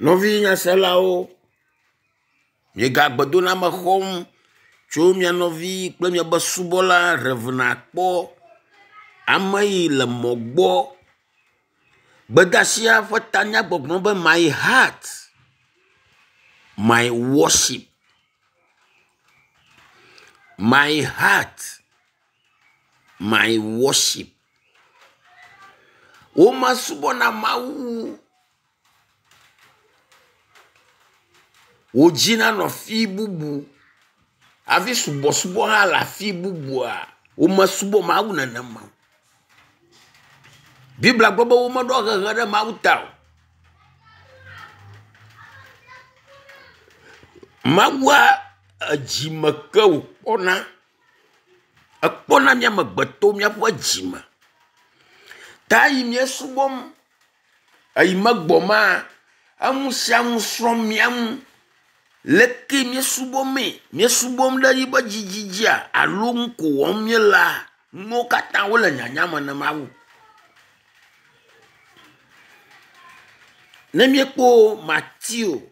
Nɔvi nyaselawo, miegagbedoname xɔm tso mia nɔvi kple miaƒe subɔla Rev. Akpɔ, ame yi le mɔ gbɔ. Gbedasia ƒe tanya gbɔgblɔ be my heart, my worship. My heart, my worship. Womesubɔna Mawu wò dzi nanɔ afi bubu hafi subɔsubɔ hã le afi bubua, womesubɔ Mawu nenema o. Biblia gblɔ be womeɖɔ hehe ɖe Mawu ta o. Mawua edzime ke wòkpɔna. Ekpɔna mía amegbetɔwo míaƒe dzime. Ta eyi míesubɔm Eyi megbɔ ma, enu sia nu srɔ̃m mía ŋu. Leke míesubɔ mee? Míesubɔm ɖe yiƒe dzidzi dzia alo nu ko wɔm míelea? Nuwo katã wole nyanya me na Mawu. Ne míekpɔ Mateo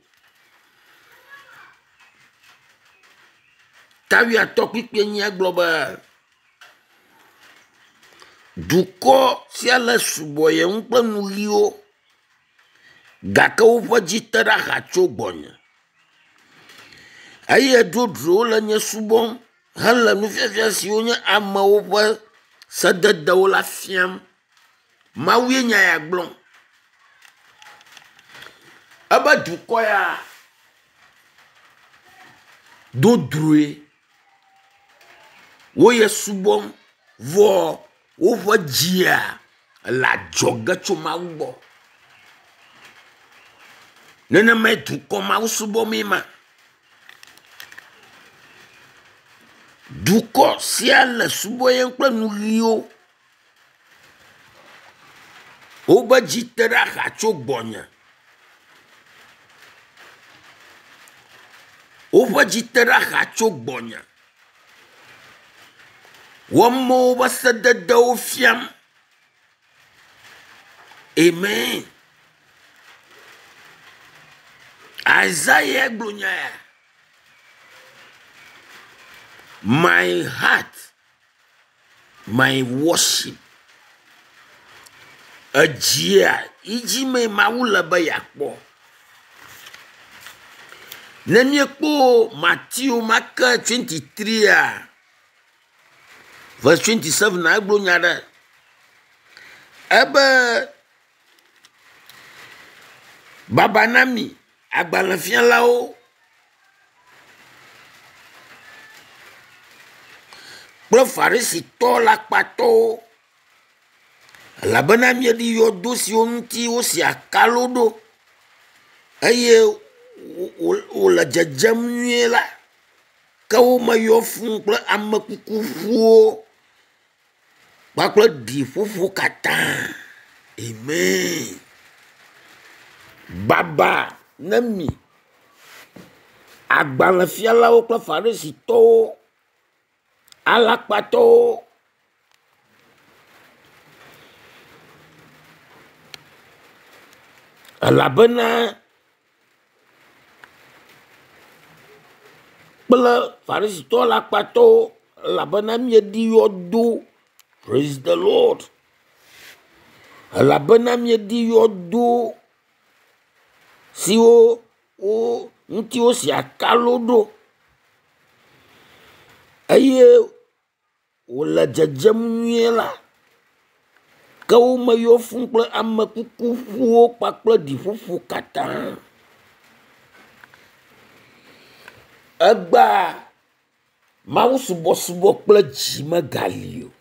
ta wuiatɔ̃ kpukpui enyia gblɔ be. Dukɔ sia le subɔyem kple nu ʋiwo gake woƒe dzi te ɖe axa tso gbɔnye eye dzodzro le nye subɔm hele nufiafia siwo nye amewo ƒe sededewo la fiam. Mawue nya ya gblɔm. Ebe dukɔ ya dodroe. Wo ye subɔm vɔ woƒe dzia le adzɔge tso Mawu gbɔ. Nenemae dukɔ mawo subɔmee ma. Dukɔ sia le subɔyem kple nu ʋiwo. Wobe dzi te ɖe axa tso gbɔnye. Woƒe dzi te ɖe axa tso gbɔnye. Woamewo ƒe sededewo fiam. Amen. Isaiah gblɔ nya ya. My heart my worship. Edzia yi dzi mee Mawu le be yeakpɔ. Ne míekpɔ Mateo ma ke 23 verse 27 egblɔ nya ɖe. Ebe baba na mi agbalẽfialawo kple Farisitɔ alakpatɔwo, elabena mieɖi yɔdo siwo ŋuti wosi akalo ɖo eye wòle dzedzem nyuie la, ke wo me yɔ fũu kple ame kuku ƒuwo kpakple ɖiƒoƒo katã. Amen. Baba ne mi agbalẽfialawo kple farisitɔwo, alakpatɔwo. Elabena kple farisitɔ alakpatɔwo elabena mieɖi yɔdo. Praise the Lord. Elabena mieɖi yɔdo siwo wo ŋuti wosi akalo ɖo eye wòle dzedzem nyuie la, ke wo me yɔ fũu kple ame kuku ƒuwo kpakple ɖiƒoƒo katã. Egbea mawusubɔsubɔ kple dzi megali o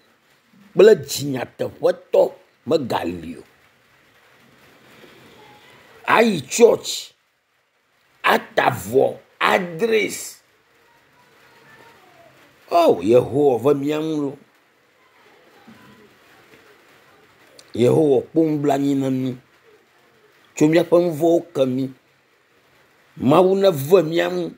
kple dzi nyateƒetɔ megali o. Ayi tsɔtsi ata avɔ, adresi. O Yehowa ve mía ŋu lo. Yehowa kpɔ nublanui na mí tso míaƒe nu vɔ̃wo ke mí. Mawu neve mía ŋu.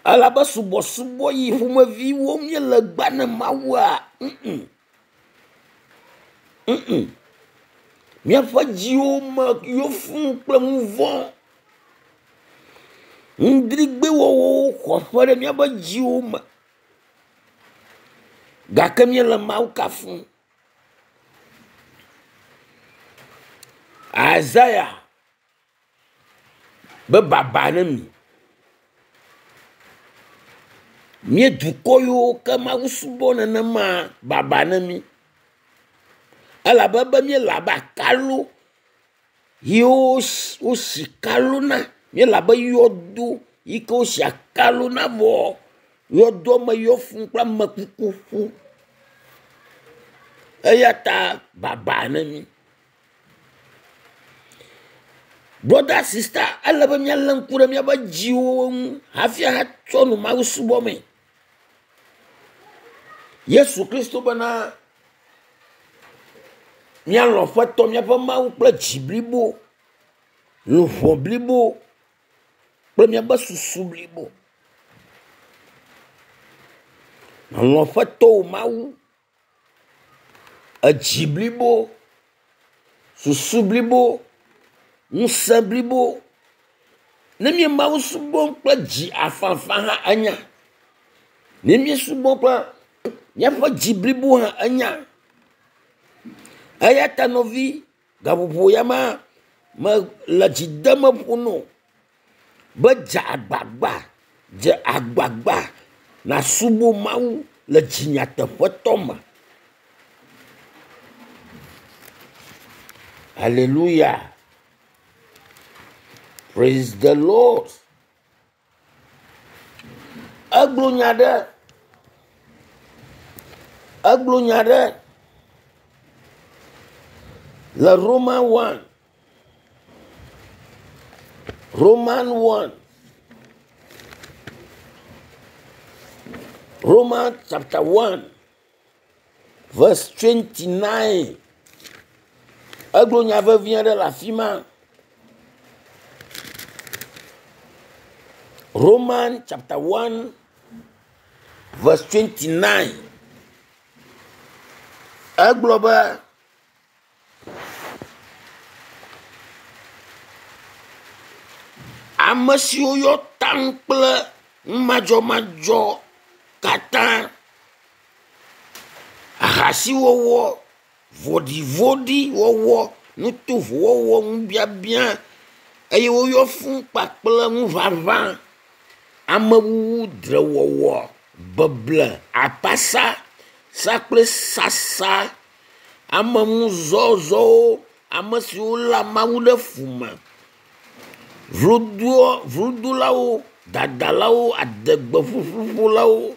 Elabe subɔsubɔ yi ƒomevi wɔm míele egbea ne Mawua, ŋŋ, ŋŋ. Míaƒe dziwo me yɔ fũu kple nu vɔ̃. Ŋdrigbewɔwɔwo xɔ aƒe ɖe míaƒe dziwo me gake míele Mawu kafum. Isaiah be baba ne mi. Mía dukɔ yiwo ke Mawu subɔ nenema baba ne mí. Elabe be míele abe akalo yiwo wosi kalo na. Míele abe yɔdo yi ke wosi akalo na vɔ yɔdoa me yɔ fũu kple amekuku ƒu. Eya ta baba ne mí. Brɔda sista ele be míalé ŋku ɖe míaƒe dziwo ŋu hafi atsɔ nu Mawu subɔ mee. Yesu Kristo bena míalɔ̃ Aƒetɔ míaƒe Mawu kple dzi blibo, luʋɔ blibo kple míaƒe susu blibo. Lɔ̃ Aƒetɔ wò Mawu edzi blibo, susu blibo, ŋusẽ blibo. Ne míe Mawu subɔm kple dzi afãafã hã enya. Ne míesubɔ kple míaƒe dzi blibo hã enya. Eya ta nɔvi gaƒoƒo ya ma mele dzi dem ƒo na wò be dze agbagba, dze agbagba nàsubɔ Mawu le dzi nyateƒetɔ me. Hallelujah. Praise the Lord. Egblɔ nya ɖe, egblɔ nya ɖe le Roman 1. Roman 1. Roman chapter 1 verse 29. Egblɔ nya vevi aɖe le afi ma. Roman chapter 1 verse 29. Egblɔ be ame siwo yɔ taŋ kple numadzɔmadzɔ katã, ahasiwɔwɔ, vɔ̃ɖivɔ̃ɖiwɔwɔ, nutovowo wɔwɔ, ŋubiabiã eye woyɔ fũu kpakple ŋuʋaʋã, amewuwu, dzrewɔwɔ, beble, akpasa, sakple sasa, ameŋuzɔzɔwo, ame siwo léa Mawu ɖe fu me, vlodolawo, dadalawo, adegbeƒuƒuƒolawo,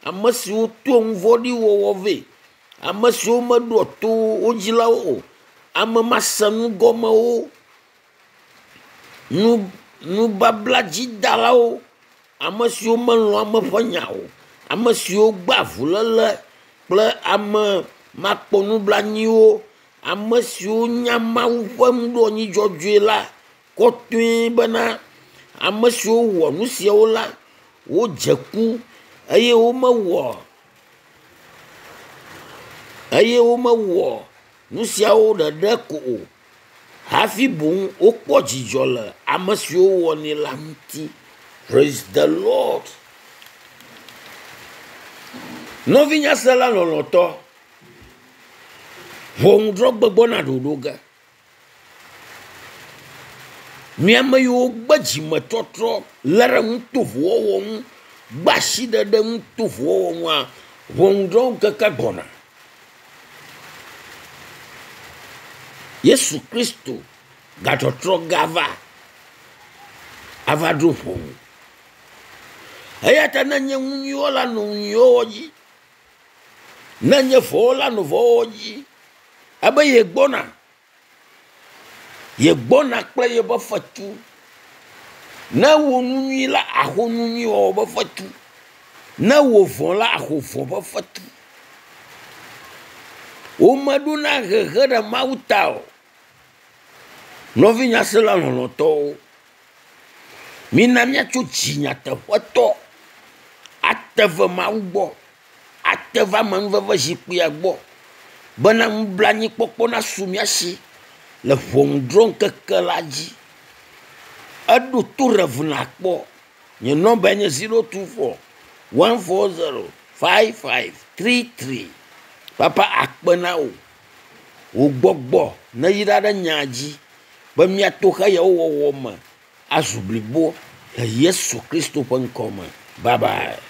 ame siwo toa nu vɔ̃ɖi wɔwɔ vɛ, ame siwo meɖoa to wo dzilawo o, ame masenugɔmewo, nu nubabladzidalawo, ame siwo melɔ̃a ame ƒe nya o, ame siwo gbea avuléle kple ame makpɔnublanuiwo, ame siwo nya Mawu ƒe nuɖoanyi dzɔdzɔe la kɔtɔe bena ame siwo wɔ nu siawo la wodze ku eye womewɔ eye womewɔ nu siawo ɖeɖe ko o hafi boŋ wokpɔ dzidzɔ le ame siwo wɔnɛ la ŋuti. Praise the Lord. Nɔvinyasela lɔlɔ̃tɔ, ʋɔnudrɔ̃gbe gbɔna ɖoɖo ge. Mi ame yiwo gbe dzimetɔtrɔ lé ɖe nutovowo wɔwɔ ŋu, gbe asiɖeɖe nutovowo wɔwɔ ŋua, ʋɔnudrɔ̃ŋkeke gbɔna. Yesu Kristo gatrɔtrɔ gava ava ɖo ʋɔnu. Eya ta ne nye nu nyui wɔla nɔ nu nyui wɔwɔ dzi, ne nye vɔ̃wɔla nɔ vɔ̃wɔwɔ dzi, ebe yegbɔna, yegbɔna kple yeƒe fetu. Ne ewɔ nu nyui la, axɔ nu nyui wɔwɔ ƒe fetu. Ne ewɔ vɔ̃ la, axɔ vɔ̃ ƒe fetu. Womeɖona hehe ɖe Mawu ta o. Nɔvinyasela lɔlɔ̃tɔwo, mina míatso dzi nyateƒetɔ ate ve Mawu gbɔ, ate va amenuveve zikpuia gbɔ bena nublanuikpɔkpɔ nasu mía si. le ʋɔnudrɔ̃ŋkeke la dzi. Eɖo to Rev. Nakpɔ. Nye nɔmbae nye 024 140 5533. Papa akpe na wò. Wò gbɔgbɔ neyra ɖe nyaa dzi be míato xeyawo wɔwɔ me azu blibo le Yesu Kristo ƒe ŋkɔ me. Bye bye.